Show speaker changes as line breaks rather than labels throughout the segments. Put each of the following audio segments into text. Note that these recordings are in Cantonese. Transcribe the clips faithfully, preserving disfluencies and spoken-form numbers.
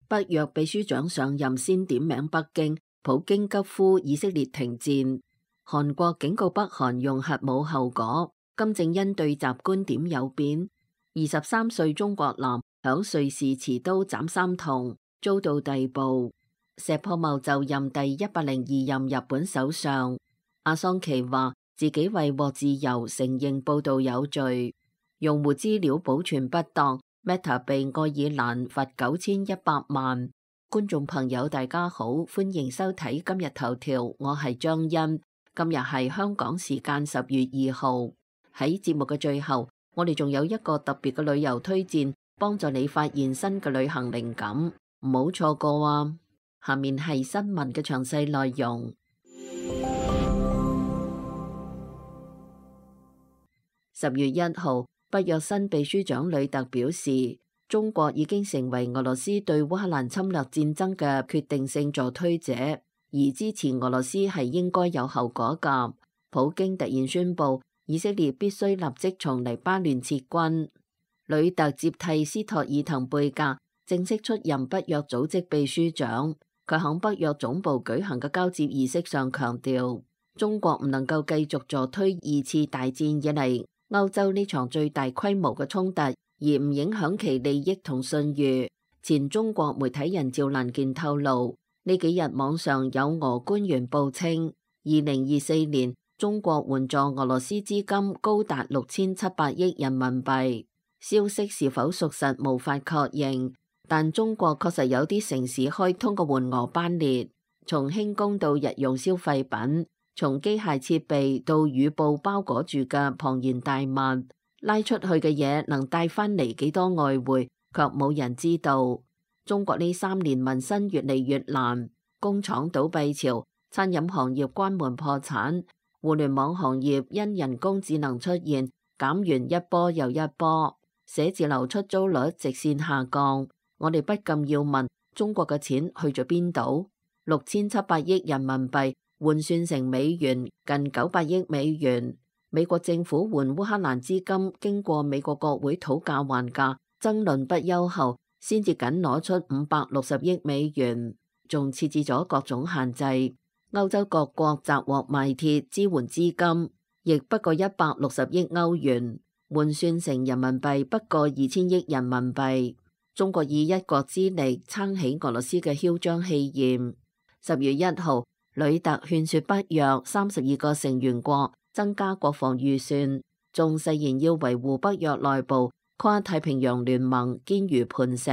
北約秘書長上任先點名北京，普京急呼以色列停戰。韓國警告北韓用核武後果，金正恩對習觀點有變。二十三歲中國男響瑞士持刀斬三童，遭到逮捕。石破茂就任第一百零二任日本首相。阿桑奇話自己為獲自由承認報道有罪。用戶資料保存不當，Meta 被愛爾蘭罰九千一百萬。觀眾朋友大家好，歡迎收睇今日頭條，我係張欣。今日係香港時間十月二號。喺節目嘅最後，我哋仲有一個特別嘅旅遊推薦，幫助你發現新嘅旅行靈感，唔好錯過啊！下面係新聞嘅詳細內容。十月一號，北約新秘書長呂特表示，中國已經成為俄羅斯對烏克蘭侵略戰爭嘅決定性助推者，而支持俄羅斯係應該有後果㗎。普京突然宣布，以色列必須立即從黎巴嫩撤軍。呂特接替斯托爾滕貝格，正式出任北約組織秘書長。佢喺北約總部舉行嘅交接儀式上強調，中國唔能夠繼續助推二次大戰以嚟歐洲呢場最大規模嘅衝突，而唔影響其利益同信譽。前中國媒體人趙蘭健透露，呢幾日網上有俄官員報稱，二零二四年中國援助俄羅斯資金高達六千七百億人民幣。消息是否屬實無法確認，但中國確實有啲城市開通過援俄班列，從輕工到日用消費品，從機械設備到雨布包裹住嘅龐然大物，拉出去嘅嘢能帶翻嚟幾多外匯，卻冇人知道。中國呢三年民生越嚟越難，工廠倒閉潮，餐飲行業關門破產，互聯網行業因人工智能出現減員一波又一波，寫字樓出租率直線下降。我哋不禁要問，中國嘅錢去咗邊度？六千七百億人民幣換算成美元近九百億美元。美國政府援烏克蘭資金經過美國國會討價還價，爭論不休後，先至僅攞出五百六十億美元，仲設置咗各種限制。歐洲各國集獲賣鐵支援資金，亦不過一百六十億歐元，換算成人民幣不過二千億人民幣。中國以一國之力撐起俄羅斯嘅囂張氣焰。十月一號，呂特勸說北約三十二個成員國增加國防預算，仲誓言要維護北約內部跨太平洋聯盟堅如磐石。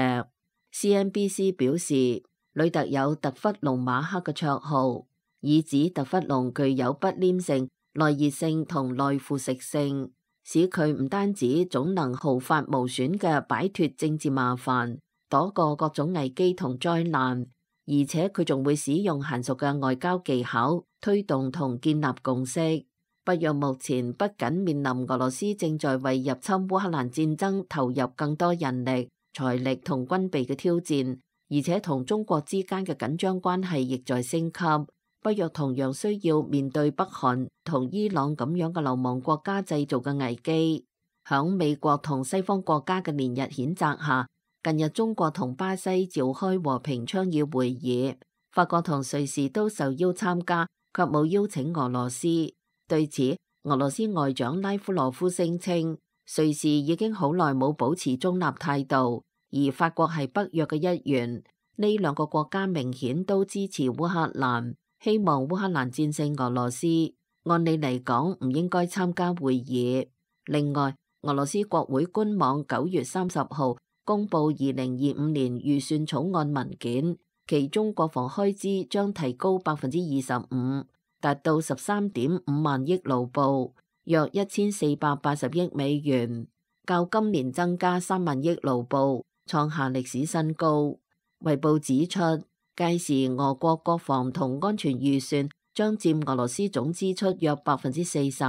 C N B C 表示，呂特有特弗龍馬克嘅綽號，以指特弗龍具有不黏性、耐熱性同耐腐蝕性，使佢唔單止總能毫髮無損嘅擺脫政治麻煩，躲過各種危機同災難，而且佢仲會使用嫻熟嘅外交技巧推動同建立共識。北約目前不僅面臨俄羅斯正在為入侵烏克蘭戰爭投入更多人力、財力同軍備嘅挑戰，而且同中國之間嘅緊張關係亦在升級。北約同樣需要面對北韓同伊朗咁樣嘅流氓國家製造嘅危機。響美國同西方國家嘅連日譴責下，近日中國同巴西召開和平倡議會議，法國同瑞士都受邀參加，卻冇邀請俄羅斯。對此，俄羅斯外長拉夫羅夫聲稱，瑞士已經好耐冇保持中立態度，而法國係北約嘅一員。呢兩個國家明顯都支持烏克蘭，希望烏克蘭戰勝俄羅斯。按理嚟講，唔應該參加會議。另外，俄羅斯國會官網九月三十號公布二零二五年預算草案文件，其中國防開支將提高百分之二十五，達到十三點五萬億盧布，約一千四百八十億美元，較今年增加三萬億盧布，創下歷史新高。衛報指出，屆時俄國國防同安全預算將佔俄羅斯總支出約百分之四十，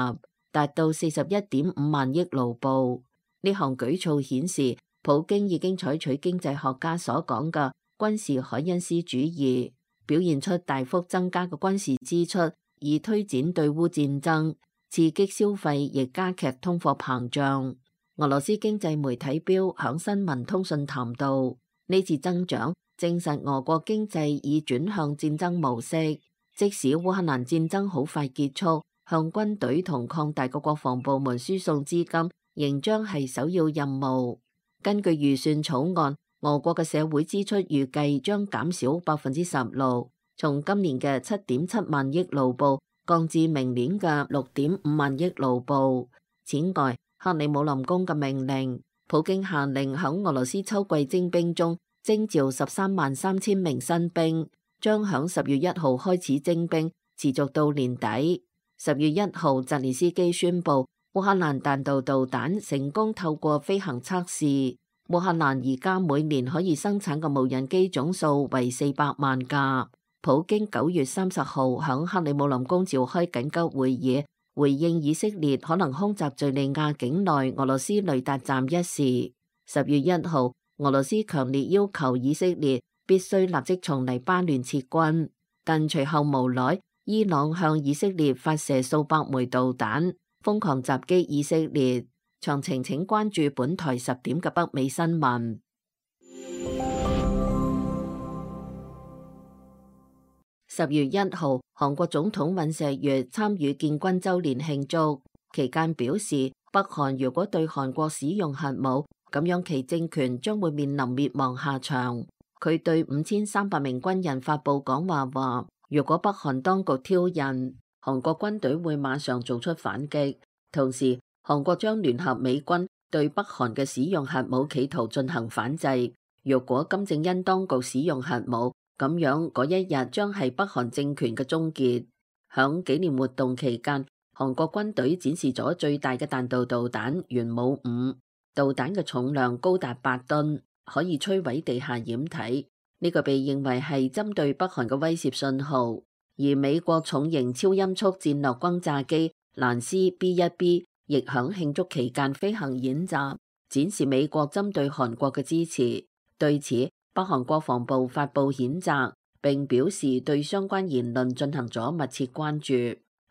達到四十一點五萬億盧布。呢項舉措顯示，普京已經採取經濟學家所講嘅軍事凱恩斯主義，表現出大幅增加嘅軍事支出，以推展對烏戰爭，刺激消費亦加劇通貨膨脹。俄羅斯經濟媒體標響新聞通訊談到，呢次增長證實俄國經濟已轉向戰爭模式。即使烏克蘭戰爭好快結束，向軍隊同擴大嘅國防部門輸送資金仍將係首要任務。根據預算草案，俄國嘅社會支出預計將減少百分之十六，從今年嘅七點七萬億盧布降至明年嘅六點五萬億盧布。此外，克里姆林宮嘅命令，普京下令響俄羅斯秋季徵兵中徵召十三萬三千名新兵，將響十月一號開始徵兵，持續到年底。十月一號，澤連斯基宣布烏克蘭彈道導彈成功透過飛行測試。烏克蘭而家每年可以生產嘅無人機總數為四百萬架。普京九月三十號響克里姆林宮召開緊急會議，回應以色列可能空襲敘利亞境內俄羅斯雷達站一事。十月一號，俄羅斯強烈要求以色列必須立即從黎巴嫩撤軍，但隨後無奈，伊朗向以色列發射數百枚導彈，瘋狂襲擊以色列。詳情請關注本台十點嘅北美新聞。十月一號，韓國總統尹錫悅參與建軍週年慶祝，期間表示，北韓如果對韓國使用核武，咁樣其政權將會面臨滅亡下場。佢對五千三百名軍人發布講話話，如果北韓當局挑釁，韓國軍隊會馬上做出反擊。同時，韓國將聯合美軍對北韓嘅使用核武企圖進行反制。如果金正恩當局使用核武，咁樣嗰一日將係北韓政權嘅終結。響紀念活動期間，韓國軍隊展示咗最大嘅彈道導彈元武五，導彈嘅重量高達八噸，可以摧毀地下掩體。呢個被認為係針對北韓嘅威懾信號。而美國重型超音速戰略轟炸機蘭斯 B 一 B 亦響慶祝期間飛行演習，展示美國針對韓國嘅支持。對此，北韓國防部發布譴責，並表示對相關言論進行咗密切關注。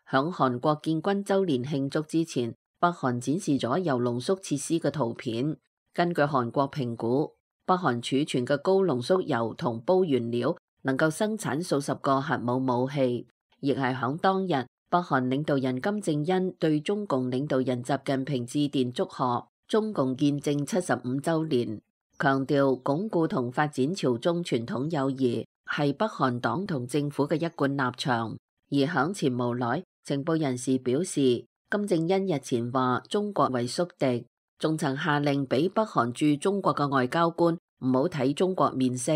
響韓國建軍週年慶祝之前，北韓展示咗鈾濃縮設施嘅圖片。根據韓國評估，北韓儲存嘅高濃縮鈾同鈽原料能夠生產數十個核武武器。亦係響當日，北韓領導人金正恩對中共領導人習近平致電祝賀中共建政七十五週年。強調鞏固同發展朝中傳統友誼係北韓黨同政府嘅一貫立場。而響前無耐，情報人士表示，金正恩日前話中國為宿敵，仲曾下令俾北韓駐中國嘅外交官唔好睇中國面色。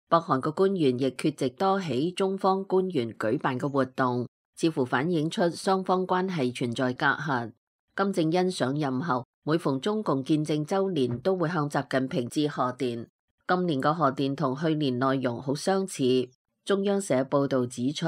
北韓嘅官員亦缺席多起中方官員舉辦嘅活動，似乎反映出雙方關係存在隔閡。金正恩上任後，每逢中共建政週年都會向習近平致賀電。今年嘅賀電同去年內容好相似。中央社報導指出，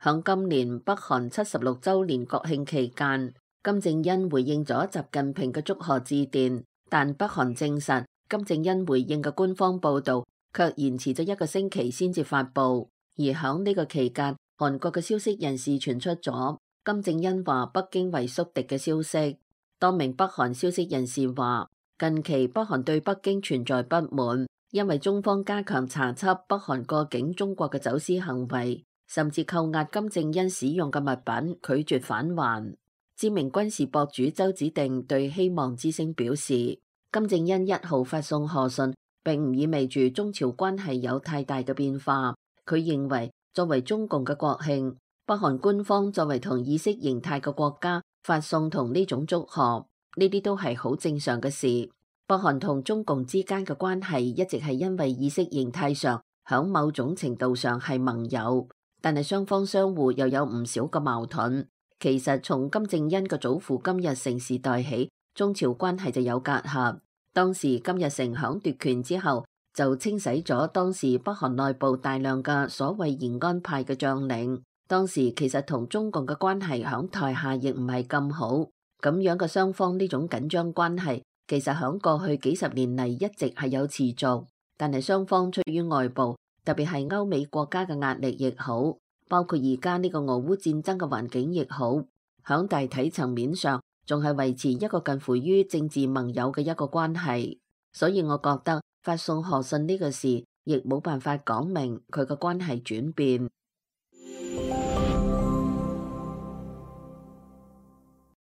響今年北韓七十六週年國慶期間，金正恩回應咗習近平嘅祝賀致電，但北韓證實金正恩回應嘅官方報導卻延遲咗一個星期先至發布。而響呢個期間，韓國嘅消息人士傳出咗金正恩話北京為宿敵嘅消息。多名北韓消息人士話，近期北韓對北京存在不滿，因為中方加強查緝北韓過境中國嘅走私行為，甚至扣押金正恩使用嘅物品，拒絕返還。知名軍事博主周子定對希望之聲表示，金正恩一號發送賀信，並唔意味住中朝關係有太大嘅變化。佢認為，作為中共嘅國慶，北韓官方作為同意識形態嘅國家發送同呢種祝賀，呢啲都係好正常嘅事。北韓同中共之間嘅關係一直係因為意識形態上響某種程度上係盟友，但係雙方相互又有唔少嘅矛盾。其實從金正恩嘅祖父金日成時代起，中朝關係就有隔閡。當時金日成響奪權之後，就清洗咗當時北韓內部大量嘅所謂延安派嘅將領。當時其實同中共嘅關係響台下亦唔係咁好，咁樣嘅雙方呢種緊張關係，其實響過去幾十年嚟一直係有持續，但係雙方出於外部，特別係歐美國家嘅壓力亦好，包括而家呢個俄烏戰爭嘅環境亦好，響大體層面上仲係維持一個近乎於政治盟友嘅一個關係。所以我覺得發送賀信呢個事亦冇辦法講明佢嘅關係轉變。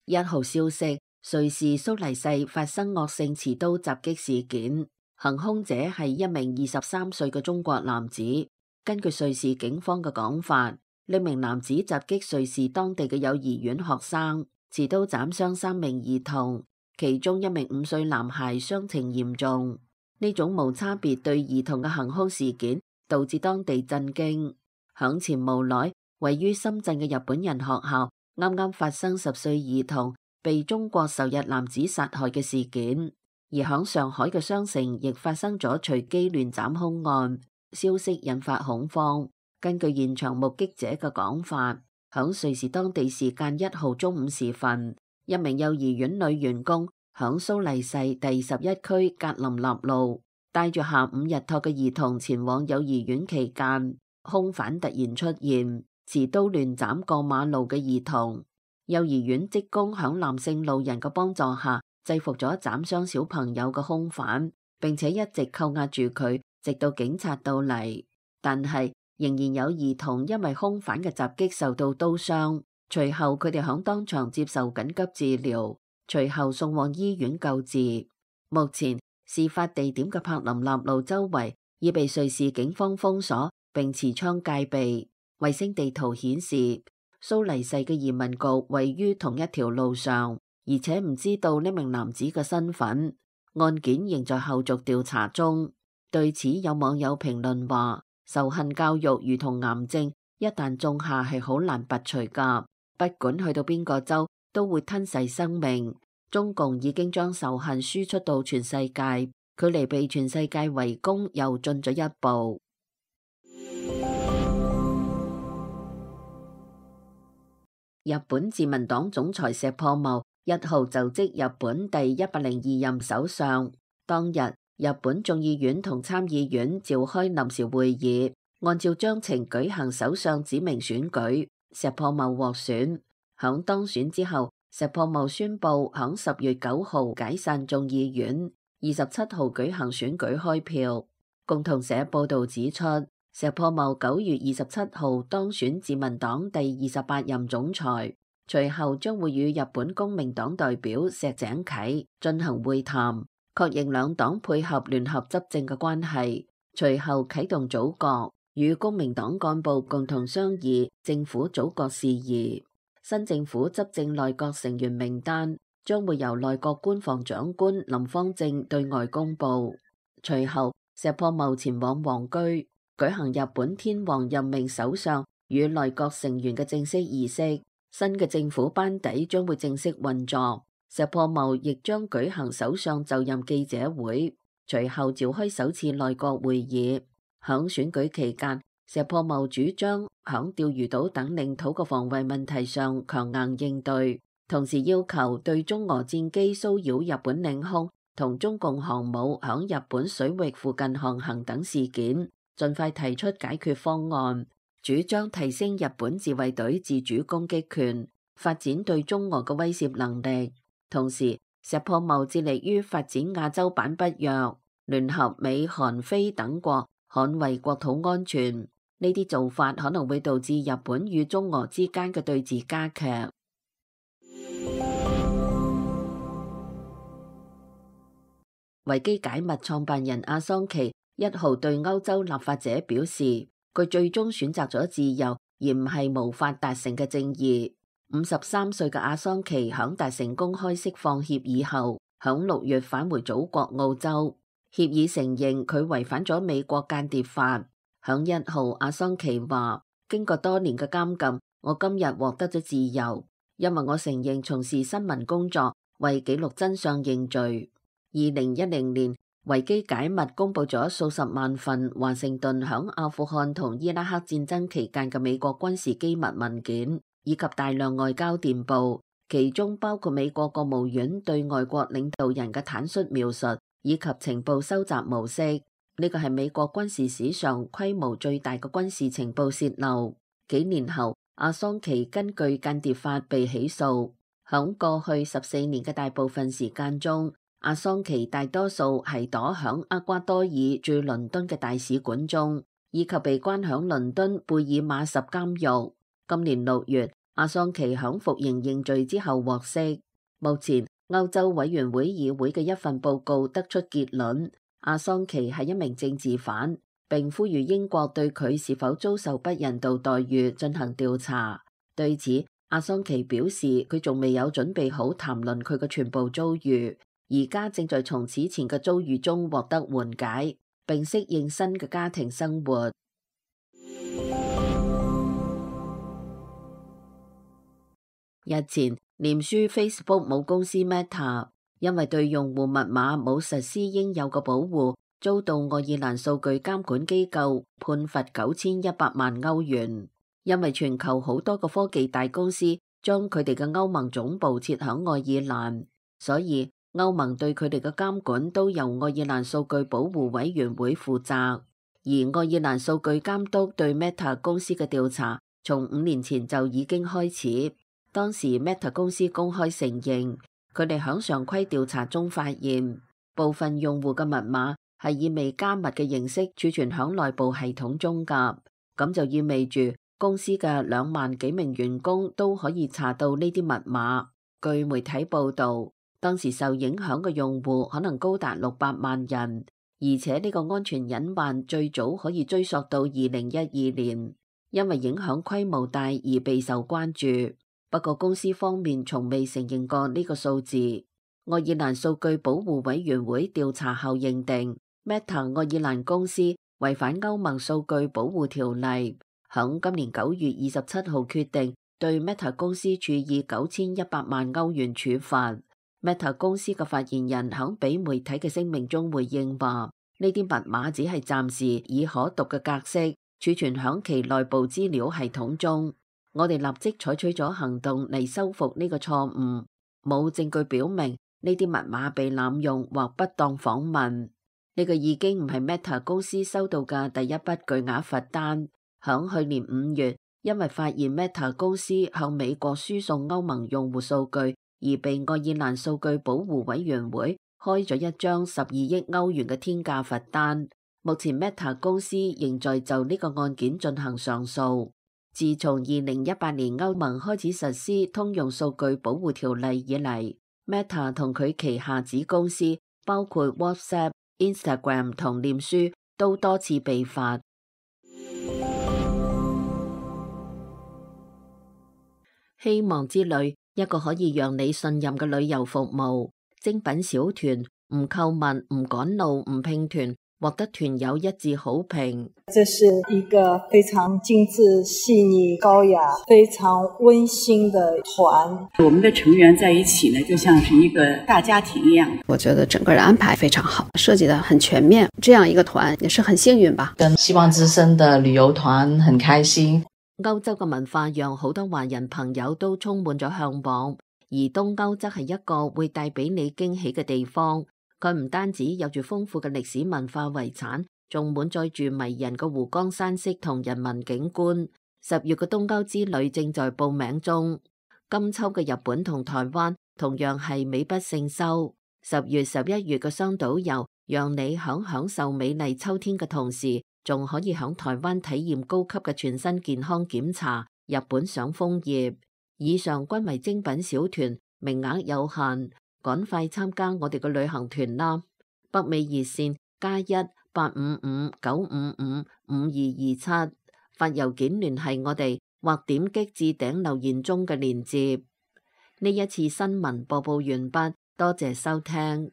一號消息，瑞士蘇黎世發生惡性持刀襲擊事件，行兇者係一名二十三歲嘅中國男子。根據瑞士警方嘅講法，呢名男子襲擊瑞士當地嘅幼兒園學生，持刀斬傷三名兒童，其中一名五歲男孩傷情嚴重。呢種無差別對兒童嘅行兇事件導致當地震驚。響前無耐，位於深圳嘅日本人學校啱啱發生十歲兒童被中國仇日男子殺害嘅事件，而響上海嘅雙城亦發生咗隨機亂斬兇案，消息引發恐慌。根據現場目擊者嘅講法，響瑞士當地時間一號中午時分，一名幼兒園女員工響蘇黎世第十一區格林納路帶住下午日托嘅兒童前往幼兒園期間，兇犯突然出現，持刀亂斬過馬路嘅兒童。幼兒園職工響男性路人嘅幫助下制服咗斬傷小朋友嘅兇犯，並且一直扣押住佢，直到警察到嚟。但係仍然有兒童因為兇犯嘅襲擊受到刀傷，隨後佢哋響當場接受緊急治療，隨後送往醫院救治。目前事發地點嘅柏林納路周圍已被瑞士警方封鎖並持槍戒備。衛星地圖顯示，蘇黎世嘅移民局位於同一條路上，而且唔知道呢名男子嘅身份。案件仍在後續調查中。對此，有網友評論話：仇恨教育如同癌症，一旦種下係好難拔除噶，不管去到邊個州都會吞噬生命。中共已經將仇恨輸出到全世界，距離被全世界圍攻又進咗一步。日本自民黨總裁石破茂一號就職日本第一百零二任首相。當日，日本眾議院同參議院召開臨時會議，按照章程舉行首相指名選舉。石破茂獲選。響當選之後，石破茂宣布響十月九號解散眾議院，二十七號舉行選舉開票。共同社報道指出，石破茂九月二十七號當選自民黨第二十八任總裁，隨後將會與日本公明黨代表石井啓進行會談，確認兩黨配合聯合執政嘅關係。隨後啟動組閣，與公明黨幹部共同商議政府組閣事宜。新政府執政內閣成員名單將會由內閣官房長官林芳正對外公布。隨後，石破茂前往皇居，舉行日本天皇任命首相與內閣成員嘅正式儀式。新嘅政府班底將會正式運作。石破茂亦將舉行首相就任記者會，隨後召開首次內閣會議。響選舉期間，石破茂主張響釣魚島等領土嘅防衛問題上強硬應對，同時要求對中俄戰機騷擾日本領空同中共航母響日本水域附近航行等事件，盡快提出解決方案，主張提升日本自衛隊自主攻擊權，發展對中俄嘅威懾能力。同時，石破茂致力於發展亞洲版北約，聯合美、韓、菲等國捍衛國土安全。呢啲做法可能會導致日本與中俄之間嘅對峙加劇。維基解密創辦人阿桑奇一號對歐洲立法者表示，佢最終選擇咗自由，而唔係無法達成嘅正義。五十三歲嘅阿桑奇響達成公開釋放協議後，響六月返回祖國澳洲。協議承認佢違反咗美國間諜法。響一號，阿桑奇話：經過多年嘅監禁，我今日獲得咗自由，因為我承認從事新聞工作，為記錄真相認罪。二零一零年，維基解密公布咗數十萬份華盛頓響阿富汗同伊拉克戰爭期間嘅美國軍事機密文件，以及大量外交電報，其中包括美國國務院對外國領導人嘅坦率描述，以及情報收集模式。呢個係美國軍事史上規模最大嘅軍事情報洩漏。幾年後，阿桑奇根據間諜法被起訴。響過去十四年嘅大部分時間中，阿桑奇大多數係躲響厄瓜多爾駐倫敦嘅大使館中，以及被關響倫敦貝爾馬什監獄。今年六月，阿桑奇響服刑認罪之後獲釋。目前，歐洲委員會議會嘅一份報告得出結論，阿桑奇係一名政治犯，並呼籲英國對佢是否遭受不人道待遇進行調查。對此，阿桑奇表示佢仲未有準備好談論佢嘅全部遭遇，而家正在從此前嘅遭遇中獲得緩解，並適應新嘅家庭生活。日前，臉書 Facebook 母公司 Meta 因為對用戶密碼冇實施應有嘅保護，遭到愛爾蘭數據監管機構判罰九千一百萬歐元。因為全球好多個科技大公司將佢哋嘅歐盟總部設響愛爾蘭，所以歐盟對佢哋嘅監管都由愛爾蘭數據保護委員會負責。而愛爾蘭數據監督對 Meta 公司嘅調查從五年前就已經開始。當時 Meta 公司公開承認，佢哋響常規調查中發現，部分用戶嘅密碼係以未加密嘅形式儲存響內部系統中㗎，咁就意味住公司嘅兩萬幾名員工都可以查到呢啲密碼。據媒體報道，當時受影響嘅用戶可能高達六百萬人，而且呢個安全隱患最早可以追溯到二零一二年，因為影響規模大而備受關注。不過公司方面從未承認過呢個數字。愛爾蘭數據保護委員會調查後認定 Meta 愛爾蘭公司違反歐盟數據保護條例，響今年九月二十七號決定對 Meta 公司處以九千一百萬歐元處罰。Meta 公司嘅發言人響俾媒體嘅聲明中回應話，呢啲密碼只係暫時以可讀嘅格式儲存響其內部資料系統中。我哋立即採取咗行動嚟修復呢個錯誤，冇證據表明呢啲密碼被濫用或不當訪問。呢個已經唔係 Meta 公司收到嘅第一筆巨額罰單。響去年五月，因為發現 Meta 公司向美國輸送歐盟用戶數據，而被愛爾蘭數據保護委員會開咗一張十二億歐元嘅天價罰單。目前 Meta 公司仍在就呢個案件進行上訴。自從二零一八年歐盟開始實施通用數據保護條例以嚟， Meta 同佢旗下子公司包括 WhatsApp、Instagram 同臉書都多次被罰。希望之旅，一個可以讓你信任嘅旅遊服務。精品小團，唔購物、唔趕路、唔拼團，獲得團友一致好評。
這是一個非常精緻、細膩、高雅、非常溫馨的團。
我們的成員在一起呢，就像是一個大家庭一樣。
我覺得整個的安排非常好，設計得很全面。這樣一個團也是很幸運吧。
跟希望之聲的旅遊團很開心。
歐洲嘅文化讓好多華人朋友都充滿咗向往，而東歐則係一個會帶俾你驚喜嘅地方。佢唔單止有住豐富嘅歷史文化遺產，仲滿載住迷人嘅湖光山色同人文景觀。十月嘅東歐之旅正在報名中，今秋嘅日本同台灣同樣係美不勝收。十月、十一月嘅雙島遊，讓你響享受美麗秋天嘅同時，仲可以響台灣體驗高級嘅全身健康檢查，日本賞楓葉。以上均為精品小團，名額有限。趕快參加我哋嘅旅行團啦！北美熱線加一八五五九五五五二二七，發郵件聯繫我哋，或點擊置頂留言中嘅鏈接。呢一次新聞播報完畢，多謝收聽。